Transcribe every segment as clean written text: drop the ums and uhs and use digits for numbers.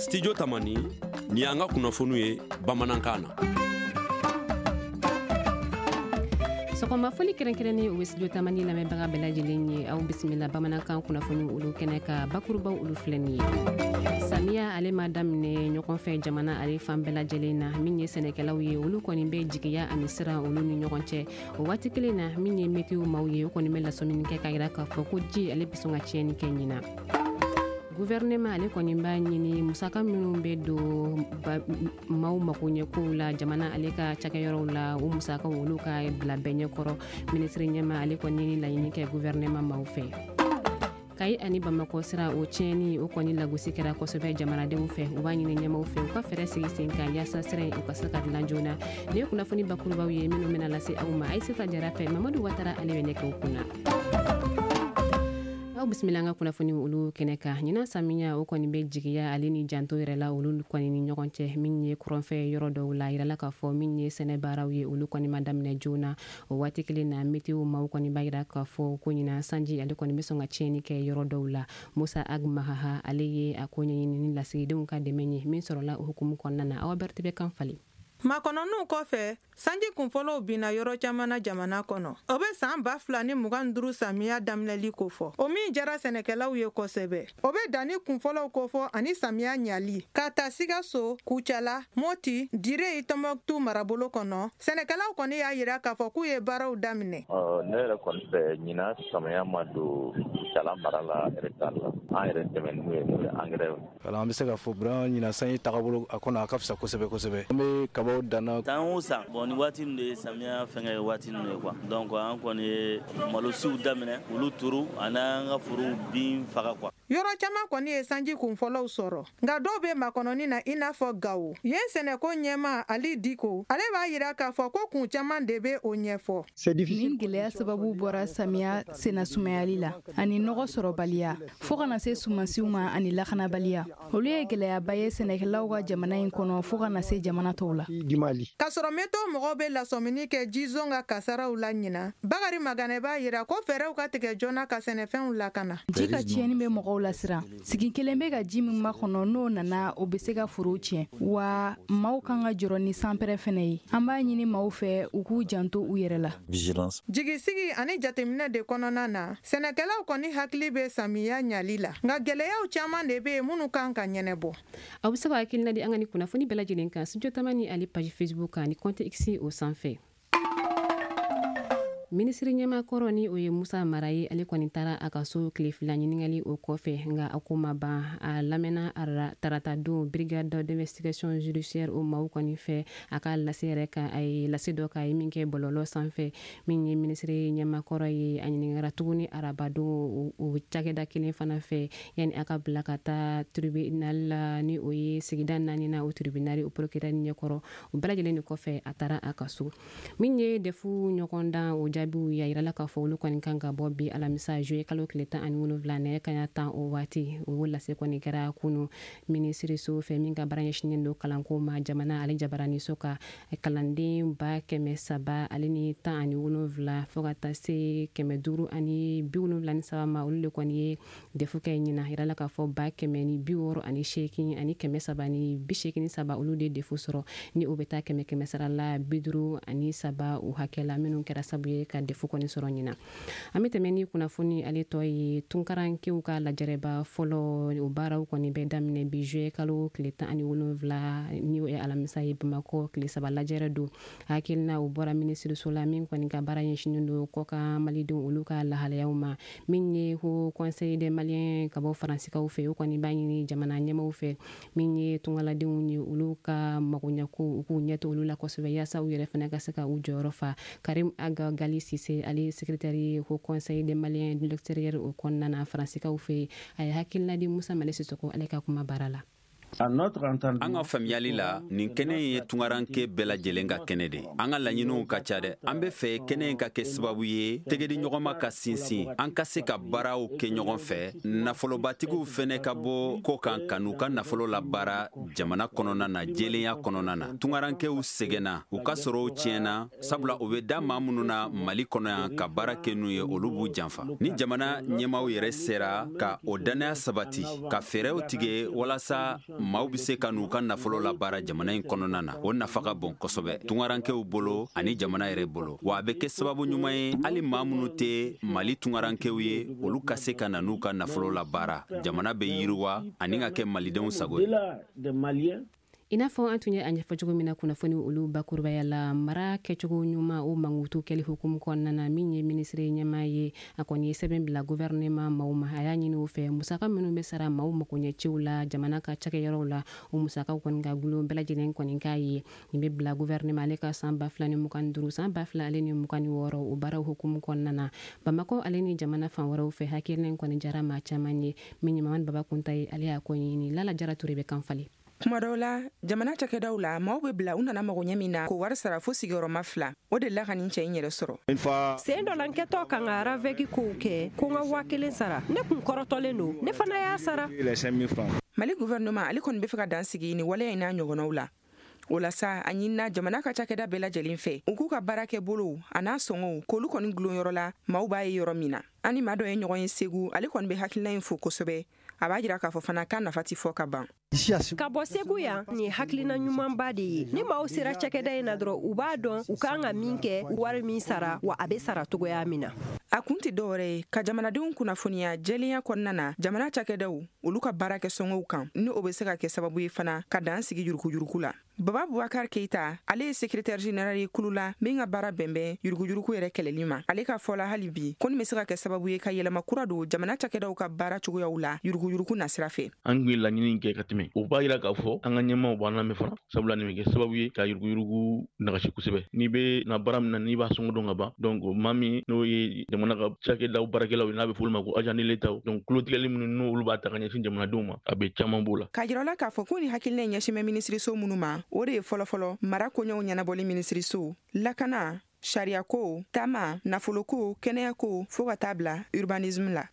Studio Tamani, nin y'an ka kunnafoniw ye bamanankan na. Sɔgɔma foli kɛrɛnkɛrɛnnen, o bɛ Studio Tamani lamɛnbaga bɛɛ lajɛlen ye. Aw bisimila bamanankan kunnafoni olu kɛnɛ ka. Bakurubaw olu filɛ nin ye: samiya ale ma daminɛ ɲɔgɔn fɛ jamana ale fan bɛɛ lajɛlen na. Min ye sɛnɛkɛlaw ye, olu kɔni bɛ jigiya ani siran olu ni ɲɔgɔn cɛ. O waati kelen na, min ye météo maaw ye, o kɔni bɛ lasɔmini kɛ k'a yira k'a fɔ ko ji ale bɛ sɔn ka tiɲɛni kɛ ɲina. Gouvernement ale kɔni b'a ɲini musaka minnu bɛ don maaw makoɲɛkow la jamana ale ka cakɛyɔrɔw la, o musakaw olu ka bila bɛɛ ɲɛkɔrɔ. Minisiri ɲɛma ale kɔni ni laɲini kɛ gouvernement maaw fɛ. Kayi ani Bamakɔ sira o tiɲɛni, o kɔni lagosi kɛra kosɛbɛ jamanadenw fɛ. U b'a ɲini ɲɛmaw fɛ u ka fɛɛrɛ sigi sen kan yaasa sira in u ka se ka dilan joona. Nin ye kunnafoni bakurubaw ye minnu bɛna lase aw ma Ayisata Jara fɛ. Mamadu Watara ale bɛ nɛgɛw kunna. Aw bisimila an ka kunnafoni olu kɛnɛ kan. Ɲinan samiya, o kɔni bɛ jigiya ale ni janto yɛrɛ la olu kɔni ni ɲɔgɔn cɛ. Min ye kɔrɔnfɛ yɔrɔ dɔw la, yirala k'a fɔ min ye sɛnɛ baaraw ye, olu kɔni ma daminɛ joona. O waati kelen na, météo maaw kɔni b'a yira k'a fɔ ko ɲinan sanji ale kɔni bɛ sɔn ka tiɲɛni kɛ yɔrɔ dɔw la. Musa Ag Mahaha ale ye a ko ɲɛɲini ni lasigidenw ka dɛmɛ ye min sɔrɔla o hukumu kɔnɔna na. Awa Berete bɛ kan falen. Makɔnɔniw kɔfɛ, sanji kunfɔlɔw binna yɔrɔ caman na jamana kɔnɔ. O bɛ san 2025 samiya daminɛli kofɔ, o min jara sɛnɛkɛlaw ye kosɛbɛ. O bɛ danni kunfɔlɔw kofɔ ani samiya ɲali. Ka ta Sikaso, Kucala, Moti, Dire, Tɔnbɔkutu marabolo kɔnɔ, sɛnɛkɛlaw kɔni y'a yira k'a fɔ k'u ye baaraw daminɛ. Ne yɛrɛ kɔni fɛ, ɲinan samiya ma don Kucala mara la retard la. An yɛrɛ dɛmɛ n'u ye, n'o ye engrais. Wala, an bɛ se ka fɔ vraiment ɲinan sanji tagabolo a kɔnɔ, a ka fisa kosɛbɛ kosɛbɛ. An bɛ kabaw danna. San o san, bon, ni waati ninnu de ye samiya fɛngɛ ye, waati ninnu ye quoi. Donc an kɔni ye malosiw daminɛ, olu turu ani an ka forow bin faga quoi. Yɔrɔ caman kɔni ye sanji kunfɔlɔw sɔrɔ, nka dɔw bɛ makɔnɔni na, i n'a fɔ Gawo. Yen sɛnɛko ɲɛma Ali Diko, ale b'a yira k'a fɔ ko kun caman de bɛ o ɲɛfɔ. Nin gwɛlɛya sababu bɔra samiya senna sumayali la ani nɔgɔ sɔrɔbaliya, fɔɔ ka na se sumansiw ma, ani lakanabaliya. Olu ye gwɛlɛyaba ye sɛnɛkɛlaw ka jamana in kɔnɔ, fɔɔ ka na se jamana tɔw la. K'a sɔrɔ météo mɔgɔw bɛ lasɔmini kɛ jizon ka kasaraw la ɲina, Bakari Maganɛ b'a yira ko fɛɛrɛw ka tigɛ joona ka sɛnɛfɛnw lakana. Ji ka tiɲɛni bɛ mɔgɔw lasiran. Sigi kelen bɛ ka ji min makɔnɔ, n'o nana, o bɛ se ka forow tiɲɛ. Wa maaw kan ka jɔrɔ ni sanpɛrɛ fɛnɛ ye. An b'a ɲini maaw fɛ u k'u janto u yɛrɛ la. Jigisigi ani jateminɛ de kɔnɔna na, sɛnɛkɛlaw kɔni hakili bɛ samiya ɲali la, nka gɛlɛyaw caman de bɛ yen minnu kan ka ɲɛnɛbɔ. Aw bɛ se ka hakilina di an ka ni kunnafoni bɛɛ lajɛlen kan Studio Tamani ale page Facebook kan ani compte X o sanfɛ. Minisiri ɲɛmakɔrɔ, ni o ye Musa Mara ye, ale kɔni taara a ka so tile 2 ɲininkali o kɔfɛ, nka a ko ma ban. A lamɛnna tarata don brigade d'investigation judiciaire o maaw kɔni fɛ, a ka lase yɛrɛ kan, a ye lase dɔ k'a ye min kɛ bɔlɔlɔ sanfɛ. Min ye minisiri ɲɛmakɔrɔ ye, a ɲininkara tuguni arabadon o cakɛda kelen fana fɛ, yanni a ka bila ka taa tribunal la, ni o ye sigida naani na, o tribunal o procureur ɲɛkɔrɔ. O bɛɛ lajɛlen de kɔfɛ, a taara a ka so. Min ye DEF ɲɔgɔndan o jaabiw ye, a yirala k'a fɔ olu kɔni kan ka bɔ bi alamisa juillet kalo tile 17, nɛgɛ kaɲa 10 o waati. O lase kɔni kɛra kunu minisiriso fɛ min ka baara ɲɛsinnen don kalanko ma jamana ale jabaraniso ka. Kalanden 317 fo ka taa se 573 ma, olu de kɔni ye DEF kɛ ɲina. Yirala k'a fɔ 168,383, olu de DEF sɔrɔ, ni o bɛ taa kɛmɛ kɛmɛ sara la 53 o hakɛ la, minnu kɛra sabu ye ka DEF kɔni sɔrɔ ɲina. An bɛ tɛmɛ ni kunnafoni ale tɔ ye. Tunkarankew ka lajɛrɛba fɔlɔ, o baaraw kɔni bɛ daminɛ bi juillet kalo tile 17, ni o ye alamisa ye, Bamakɔ. Tile 3 lajɛrɛ don. Hakilina o bɔra minisiriso la min kɔni ka baara ɲɛsinnen don kɔkan malidenw olu ka lahalayaw ma. Min ye Haut Conseil des Maliens ka bɔ Faransikaw fɛ, o kɔni b'a ɲini jamana ɲɛmaw fɛ, min ye tungaladenw ye, olu ka magoɲɛko, u k'u ɲɛ to olu la kosɛbɛ yaasa u yɛrɛ fana ka se ka u jɔyɔrɔ fa. Karim Aga Gali Sise, ale secrétaire ye Haut Conseil des Maliens de l'extérieur o kɔnɔna na Faransikaw fɛ, a ye hakilina di Musa Male Sisoko ale ka kuma baara la. An ka faamuyali la, nin kɛnɛ ye tungaranke bɛɛ lajɛlen ka kɛnɛ de. An ka laɲiniw ka ca dɛ. An bɛ fɛ kɛnɛ in ka kɛ sababu ye tɛgɛdiɲɔgɔnma ka sinsin, an ka se ka baaraw kɛ ɲɔgɔn fɛ, nafolobatigiw fɛnɛ ka bɔ kɔ kan ka n'u ka nafolo labaara jamana kɔnɔna na jɛlenya kɔnɔna na. Tungarankew sɛgɛnna, u ka sɔrɔw tiɲɛna, sabula u bɛ da maa minnu na Mali kɔnɔ yan ka baara kɛ n'u ye, olu b'u janfa. Ni jamana ɲɛmaaw yɛrɛ sera ka o dannaya sabati, ka fɛɛrɛw tigɛ walasa maaw bɛ se ka n'u ka nafolo labaara jamana in kɔnɔna na. O nafa ka bon kosɛbɛ tungarankew bolo ani jamana yɛrɛ bolo. Wa a bɛ kɛ sababu ɲuman ye hali maa minnu tɛ Mali tungarankew ye, olu ka se ka na n'u ka nafolo labaara. Jamana bɛ yiriwa ani ka kɛ malidenw sago ye. I n'a fɔ an tun ye a ɲɛfɔ cogo min na kunnafoni olu bakurubaya la, mara kɛcogo ɲuman o mankutu kɛli hukumu kɔnɔna na, min ye minisiri ɲɛmaa ye, a kɔni ye sɛbɛn bila gouvernement maaw ma. A y'a ɲini u fɛ, musaka minnu bɛ sara maaw makoɲɛciw la jamana ka cakɛyɔrɔw la, o musakaw kɔni ka gulon bɛɛ lajɛlen kɔni k'a ye. Nin bɛ bila gouvernement ale ka san 2025 san 2026 o baaraw hukumu kɔnɔna na. Bamakɔ ale ni jamana fan wɛrɛw fɛ, hakilina in kɔni jara maa caman ye. Min ye Mamadu Baba Kunta ye, ale y'a ko ɲini. Lala Jara Ture bɛ kan falen. Kuma dɔw la, jamana cakɛdaw la, maaw bɛ bila u nana magoɲɛ min na k'o wari sara fo sigiyɔrɔma 2. O de la ka nin cɛ in yɛrɛ sɔrɔ. Sen dɔ la, n kɛtɔ ka n ka RAVEC kow kɛ, ko n ka 1000 sara. Ne kun kɔrɔtɔlen don, ne fana y'a sara. Mali gouvernement ale kɔni bɛ fɛ ka dan sigi ni waleya in n'a ɲɔgɔnnaw la. O la sa, a ɲinina jamana ka cakɛda bɛɛ lajɛlen fɛ, u k'u ka baara kɛ bolow a n'a sɔngɔw k'olu kɔni gulon yɔrɔ la, maaw b'a ye yɔrɔ min na. An ni maa dɔ ye ɲɔgɔn ye Segu, ale kɔni bɛ hakilina in fo kosɛbɛ. A b'a jira k'a fɔ fana k'a nafa tɛ fɔ ka ban. Ka bɔ Segu yan, nin ye hakilina ɲumanba de ye. Ni maaw sera cakɛda in na dɔrɔn, u b'a dɔn u kan ka min kɛ, wari min sara, wa a bɛ sara cogoya min na. A kun tɛ dɔwɛrɛ ye ka jamanadenw kunnafoniya jɛlenya kɔnɔna na jamana cakɛdaw olu ka baara kɛ sɔngɔw kan, ni o bɛ se ka kɛ sababu ye fana ka dan sigi yuruguyurugu la. Baba Bubakar Keita, ale ye secrétaire général ye kulu la min ka baara bɛnbɛn yuruguyurugu yɛrɛ kɛlɛli ma. Ale ka fɔ la hali bi, ko nin bɛ se ka kɛ sababu ye ka yɛlɛma kura don jamana cakɛdaw ka baara cogoyaw la yuruguyurugu nasira fɛ. An tun ye laɲini kɛ ka tɛmɛ, o b'a jira k'a fɔ an ka ɲɛmaaw b'an lamɛn fana, sabula nin bɛ kɛ sababu ye ka yuruguyurugu nagasi kosɛbɛ. N'i bɛ na baara min na, n'i b'a sɔngɔ dɔn ka ban, donc maa min n'o ye jamana ka cakɛdaw baarakɛlaw ye, n'a bɛ f'olu ma ko agent de l'État, donc kulotigɛli minnu n'olu b'a ta ka ɲɛsin jamanadenw ma, a bɛ caman b'o la. K'a jira la k'a fɔ ko nin hakilina in ɲɛsin bɛ minisiriso minnu ma, o de ye fɔlɔfɔlɔ mara koɲɛw ɲɛnabɔli minisiriso, lakana, sariyako, taama, nafoloko, kɛnɛyako, fo ka taa bila urbanisme la.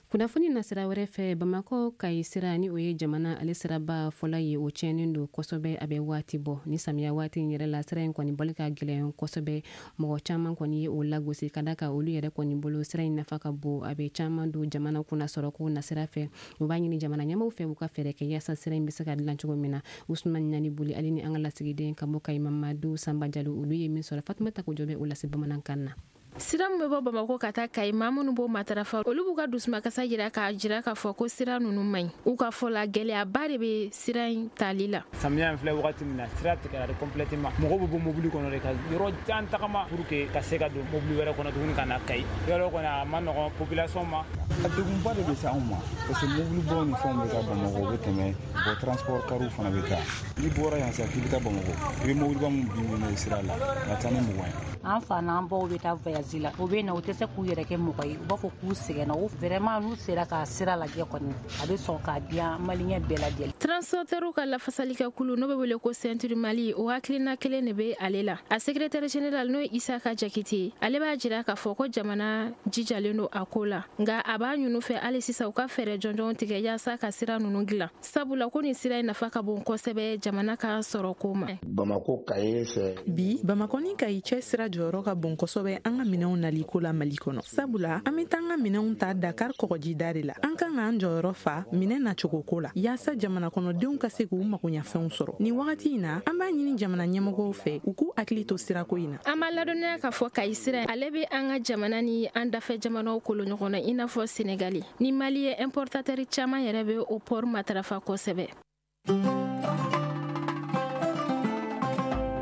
Kunnafoni nasira wɛrɛ fɛ, Bamakɔ Kayi sira, ni o ye jamana ale siraba fɔlɔ ye, o tiɲɛnen don kosɛbɛ. A bɛ waati bɔ ni samiya waati in yɛrɛ la, sira in kɔni bɔli ka gɛlɛn kosɛbɛ. Mɔgɔ caman kɔni ye o lagosi ka da kan olu yɛrɛ kɔni bolo sira in nafa ka bon, a bɛ caman don jamana kunna sɔrɔko nasira fɛ. U b'a ɲini jamana ɲɛmaaw fɛ u ka fɛɛrɛ kɛ yaasa sira in bɛ se ka dilan cogo min na. Usumani Ɲani Boli ale ni an ka lasigiden ka bɔ Kayi Mamadu Sanba Jalo, olu ye min sɔrɔ, Fatumata Kojo bɛ o lase bamanankan na. Sira min bɛ bɔ Bamakɔ ka taa Kayi, maa minnu b'o matarafa, olu b'u ka dusumakasa jira k'a jira k'a fɔ ko sira ninnu man ɲi. U ka fɔ la, gɛlɛyaba de bɛ sira in tali la. Samiya in filɛ wagati min na, sira tigɛra de complètement. Mɔgɔw bɛ bɔ mobili kɔnɔ de ka yɔrɔ jan tagama pour que ka se ka don mobili wɛrɛ kɔnɔ tuguni ka na Kayi. Yɔrɔ kɔni a ma nɔgɔn population ma. A degunba de bɛ se anw ma parce que mobilibaw ni fɛnw bɛ taa Bamakɔ, u bɛ tɛmɛ, bon transport kariw fana bɛ taa. N'i bɔra yan sisan k'i bɛ taa Bamakɔ, i bɛ mobiliba min bin minɛ sira la, a ka ca ni 20 ye. An fa n'an baw bɛ taa voyage la, u bɛ na, u tɛ se k'u yɛrɛ kɛ mɔgɔ ye, u b'a fɔ k'u sɛgɛnna. O vraiment n'u sera ka sira lajɛ kɔni, a bɛ sɔn k'a diya maliyɛn bɛɛ lajɛlen. Transporteurs ka lafasalikɛ kulu, n'o bɛ wele ko Ceinture Mali, o hakilina kelen de bɛ ale la. A secrétaire général, n'o ye Isaka Jakite, ale b'a jira k'a fɔ ko jamana jijalen don a ko la, nka a b'a ɲini fɛ hali sisan u ka fɛɛrɛ jɔnjɔnw tigɛ yaasa ka sira ninnu dilan, sabula ko nin sira in nafa ka bon kosɛbɛ jamana ka sɔrɔ ko ma. Bamakɔ Kayi fɛ. Bi Bamakɔ ni Kayi cɛ sira jɔyɔrɔ ka bon kosɛbɛ an ka minɛnw naliko la Mali kɔnɔ, sabula an bɛ taa an ka minɛnw ta Dakar kɔgɔjida de la. An kan k'an jɔyɔrɔ fa minɛn nacogo ko la yaasa jamana kɔnɔdenw ka se k'u magoɲafɛnw sɔrɔ. Nin wagati in na, an b'a ɲini jamana ɲɛmɔgɔw fɛ u k'u hakili to sirako in na. An b'a ladɔnniya k'a fɔ Kayi sira ale bɛ an ka jamana ni an dafɛ jamanaw kolo ɲɔgɔn na, i n'a fɔ Senegali ni Mali ye. Importateur caman yɛrɛ bɛ o port matarafa kosɛbɛ.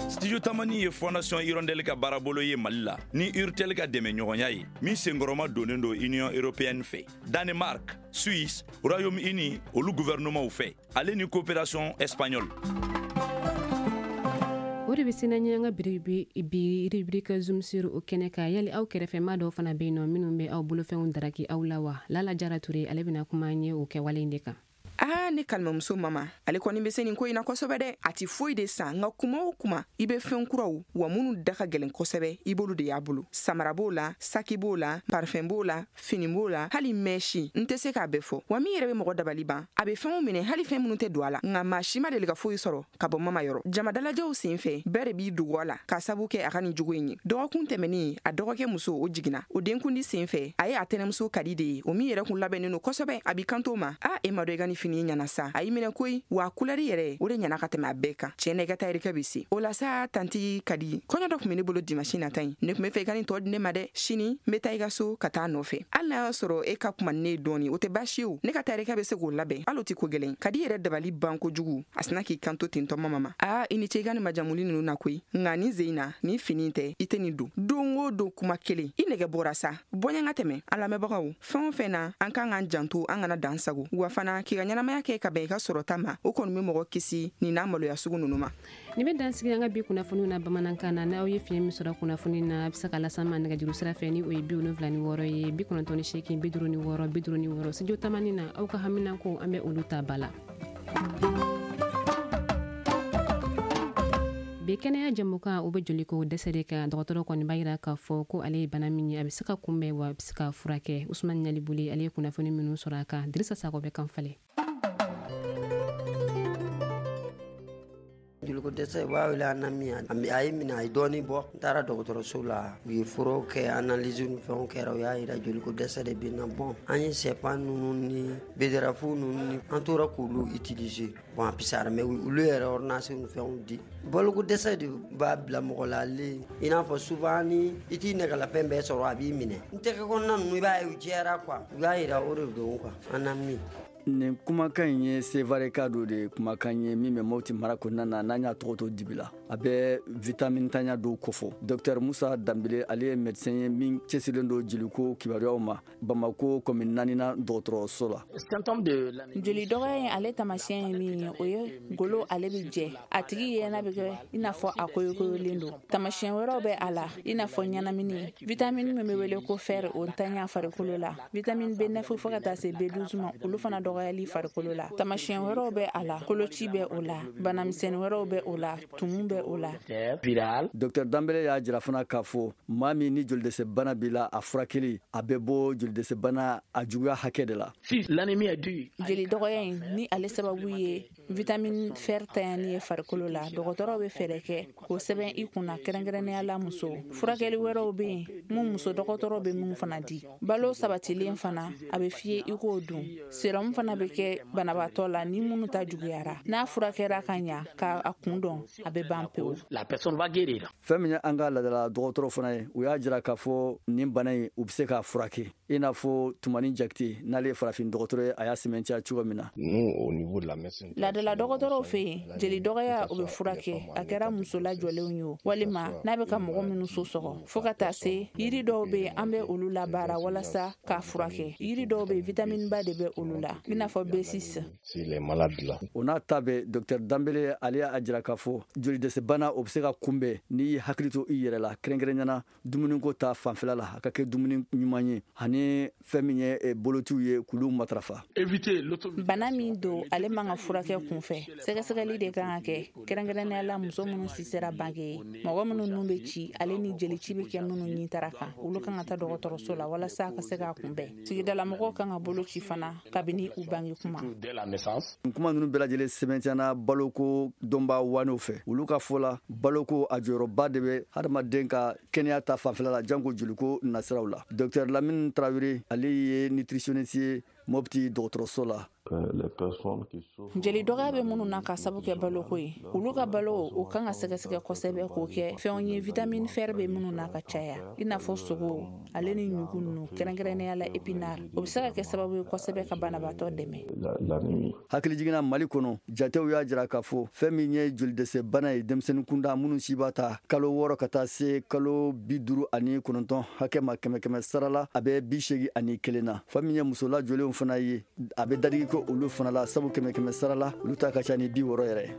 Studio Tamani ye Fondation Hirondelle ka baarabolo ye Mali la ni Urtel ka dɛmɛɲɔgɔnya ye, min senkɔrɔma donnen don Union européenne fɛ, Danemark, Suisse, Royaume-Uni olu gouvernementw fɛ, ale ni coopération espagnole. O de bɛ se n'an ye an ka bi rubrique zoom sur o kɛnɛ kan. Yali aw kɛrɛfɛ maa dɔw fana bɛ yen nɔ minnu bɛ aw bolofɛnw daraki aw la wa? Lala Jara Ture, ale bɛna kuma an ye o kɛwale in de kan. Aa, ne kalimamuso mama, ale kɔni bɛ se nin ko in na kosɛbɛ dɛ. A tɛ foyi de san, nka kuma o kuma i bɛ fɛn kuraw wa minnu da ka gɛlɛn kosɛbɛ, i b'olu de y'a bolo. Samara b'o la, saki b'o la, parfum b'o la, fini b'o la, hali mèche, n tɛ se k'a bɛɛ fɔ. Wa min yɛrɛ bɛ mɔgɔ dabali ban, a bɛ fɛnw minɛ, hali fɛn minnu tɛ don a la, nka maa si ma deli ka foyi sɔrɔ ka bɔ mama yɔrɔ. Jama dalajɛw sen fɛ, bɛɛ de b'i dogo a la k'a sabu kɛ a ka nin jogo in ye. Dɔgɔkun tɛmɛnen, a dɔgɔkɛ muso o jiginna. O denkundi sen fɛ, a ye a tɛnɛmuso kadi de ye, o min yɛrɛ kun labɛnnen don kosɛbɛ. A b'i kanto ma: a e ma dɔn i ka nin fini fini ɲɛna sa, a y'i minɛ koyi, wa kulɛri yɛrɛ o de ɲɛna ka tɛmɛ a bɛɛ kan. Tiɲɛ na, i ka tayɛrikɛ bɛ se o la sa. Tanti Kadi, kɔɲɔ dɔ tun bɛ ne bolo dimanche nata in, ne tun bɛ fɛ i ka nin tɔ di ne ma dɛ. Sini n bɛ taa i ka so ka taa nɔfɛ. Hali n'a y'a sɔrɔ e ka kuma ne ye dɔɔni, o tɛ baasi ye o, ne ka tayɛrikɛ bɛ se k'o labɛn, hali o tɛ ko gɛlɛn. Kadi yɛrɛ dabali ban kojugu, a sina k'i kanto ten tɔ mama ma: Aa, i ni ce i ka nin majamuli ninnu na koyi, nka nin sen in na, nin fini tɛ, i tɛ nin don. Don o don kuma kelen, i nɛgɛ bɔra sa, bɔɲɛ ka tɛmɛ. An lamɛnbagaw, fɛn o fɛn na, an kan k'an janto, an kana dan sago, wa fana k'i ka ɲɛnamaya kɛ ka bɛn i ka sɔrɔta ma, o kɔni bɛ mɔgɔ kisi nin n'a maloya sugu ninnu ma. Nin bɛ dan sigi an ka bi kunnafoniw na bamanankan na. N'aw ye fiɲɛ min sɔrɔ kunnafoni na, a bɛ se ka las'an ma nɛgɛjuru sira fɛ, ni o ye 76 ye, 98 56 56. Studio Tamani na, aw ka haminanko, an bɛ olu ta ba la. Bi kɛnɛya jɛmukan, o bɛ joliko dɛsɛ de kan. Dɔgɔtɔrɔ kɔni b'a yira k'a fɔ ko ale ye bana min ye, a bɛ se ka kunbɛn, wa a bɛ se ka furakɛ. Usumani Ɲalibuli, ale ye kunnafoni minnu sɔrɔ a kan, Dirisa Sakɔ bɛ kan falen. Joliko dɛsɛ, u b'a wele anémie. A ye minɛ, a ye dɔɔni bɔ. N taara dɔgɔtɔrɔso la, u ye furaw kɛ, analyse ni fɛnw kɛra, u y'a yira joliko dɛsɛ de bɛ n na. Bon, an ye sɛfan ninnu ni betterave ninnu ni an tora k'olu utiliser. Bon, a fisayara, mais olu yɛrɛ ordonnance ni fɛnw di. Baloko dɛsɛ de b'a bila mɔgɔ la, ale i n'a fɔ souvent ni i t'i nɛgɛlafɛn bɛɛ sɔrɔ, a b'i minɛ. N tɛgɛ kɔnɔna ninnu, i b'a ye u jɛra quoi. U y'a yira o de don quoi, anémie. Nin kumakan in ye Sevareka dɔ de kumakan ye min bɛ Mopti mara kɔnɔna na, n'an y'a tɔgɔ to dibi la. A bɛ vitamine tanya dɔw kofɔ. Docteur Musa Danbele, ale ye médecin ye min cɛsirilen don jeliko kibaruyaw ma Bamako commune naaninan dɔgɔtɔrɔso la. Joli dɔgɔya in, ale taamasiyɛn ye min ye, o ye golo ale bɛ jɛ, a tigi yɛnɛ bɛ kɛ i n'a fɔ a koyokoyolen don. Taamasiyɛn wɛrɛw bɛ a la, i n'a fɔ ɲɛnamini, vitamine min bɛ wele ko fer, o ntanya farikolo la, vitamine B9 fo ka taa se B12 ma, olu fana dɔgɔyali farikolo la. Taamasiyɛn wɛrɛw bɛ a la, koloci bɛ o la, banamisɛnnin wɛrɛw bɛ o la, tumu bɛ o la. Docteur Danbele y'a jira fana k'a fɔ maa min ni jolidɛsɛ bana b'i la, a furakɛli a bɛ bɔ jolidɛsɛ bana a juguya hakɛ de la. Joli dɔgɔya in, ni ale sababu ye vitamine fer tanyani ye farikolo la, dɔgɔtɔrɔw bɛ fɛɛrɛ kɛ k'o sɛbɛn i kunna, kɛrɛnkɛrɛnnenya la muso. Furakɛli wɛrɛw bɛ yen mun muso dɔgɔtɔrɔ bɛ mun fana di. Balo sabatilen fana, a bɛ f'i ye i k'o dun. Sérum fana bɛ kɛ banabaatɔ la ni minnu ta juguyara. N'a furakɛra ka ɲa k'a kun dɔn, a bɛ ban pewu. Fɛn min ye an ka laadala dɔgɔtɔrɔ fana ye, u y'a jira k'a fɔ nin bana in, u bɛ se k'a furakɛ, i n'a fɔ Tumani Jakite, n'ale ye farafin dɔgɔtɔrɔ ye, a y'a sɛmɛntiya cogo min na. Laadala dɔgɔtɔrɔw fɛ yen, jeli dɔgɔya, o bɛ furakɛ, a kɛra muso lajɔlenw ye o, walima n'a bɛ ka mɔgɔ minnu so sɔgɔ, fo ka taa se yiri dɔw bɛ yen, an bɛ olu labaara walasa k'a furakɛ. Yiri dɔw bɛ yen, vitamine ba de bɛ olu la, i n'a fɔ B6. O n'a ta bɛɛ, docteur Danbele, ale y'a jira k'a fɔ jolidɛsɛ bana, o bɛ se ka kunbɛn n'i y'i hakili to i yɛrɛ la, kɛrɛnkɛrɛnnenya dumuniko ta fanfɛla la, a ka kɛ dumuni ɲuman ye, ani fɛn min ye bolociw ye, k'olu matarafa. Bana min don, ale man ka furakɛ kunfɛ, sɛgɛsɛgɛli de kan ka kɛ, kɛrɛnkɛrɛnnenya la muso minnu si sera bange ye, mɔgɔ minnu nun bɛ ci, ale ni jelici bɛ kɛ minnu ɲin tara kan, olu kan ka taa dɔgɔtɔrɔso la walasa ka se k'a kunbɛn. Sigidalamɔgɔw kan ka bolo ci fana kabini u bange kuma. Nin kuma ninnu bɛɛ lajɛlen sɛmɛntiyana baloko dɔnbaa wanew fɛ. Olu ka fɔ la, baloko a jɔyɔrɔba de bɛ hadamaden ka kɛnɛya ta fanfɛla la, janko joliko nasiraw la. Docteur Lamine Tarawele, ale ye nutritionniste ye Mopti dɔgɔtɔrɔso la. Jeli dɔgɔya bɛ minnu na ka sabu kɛ baloko ye, olu ka balo, o kan ka sɛgɛsɛgɛ kosɛbɛ k'o kɛ fɛnw ye vitamine fer bɛ minnu na ka caya, i n'a fɔ sogo ale ni ɲugu ninnu, kɛrɛnkɛrɛnnenya la épinard. O bɛ se ka kɛ sababu ye kosɛbɛ ka banabaatɔ dɛmɛ. Hakili jiginna, Mali kɔnɔ, jatew y'a jira k'a fɔ fɛn min ye jolidɛsɛ bana ye denmisɛnnin kunda minnu si b'a ta kalo 6 ka taa se kalo 59 hakɛ ma, kɛmɛ kɛmɛ sara la, a bɛ 81 na. Fɛn min ye muso lajɔlenw fana ye, a bɛ dadigi ko olu fana la, sabu kɛmɛ kɛmɛ sara la, olu ta ka ca ni 60 yɛrɛ.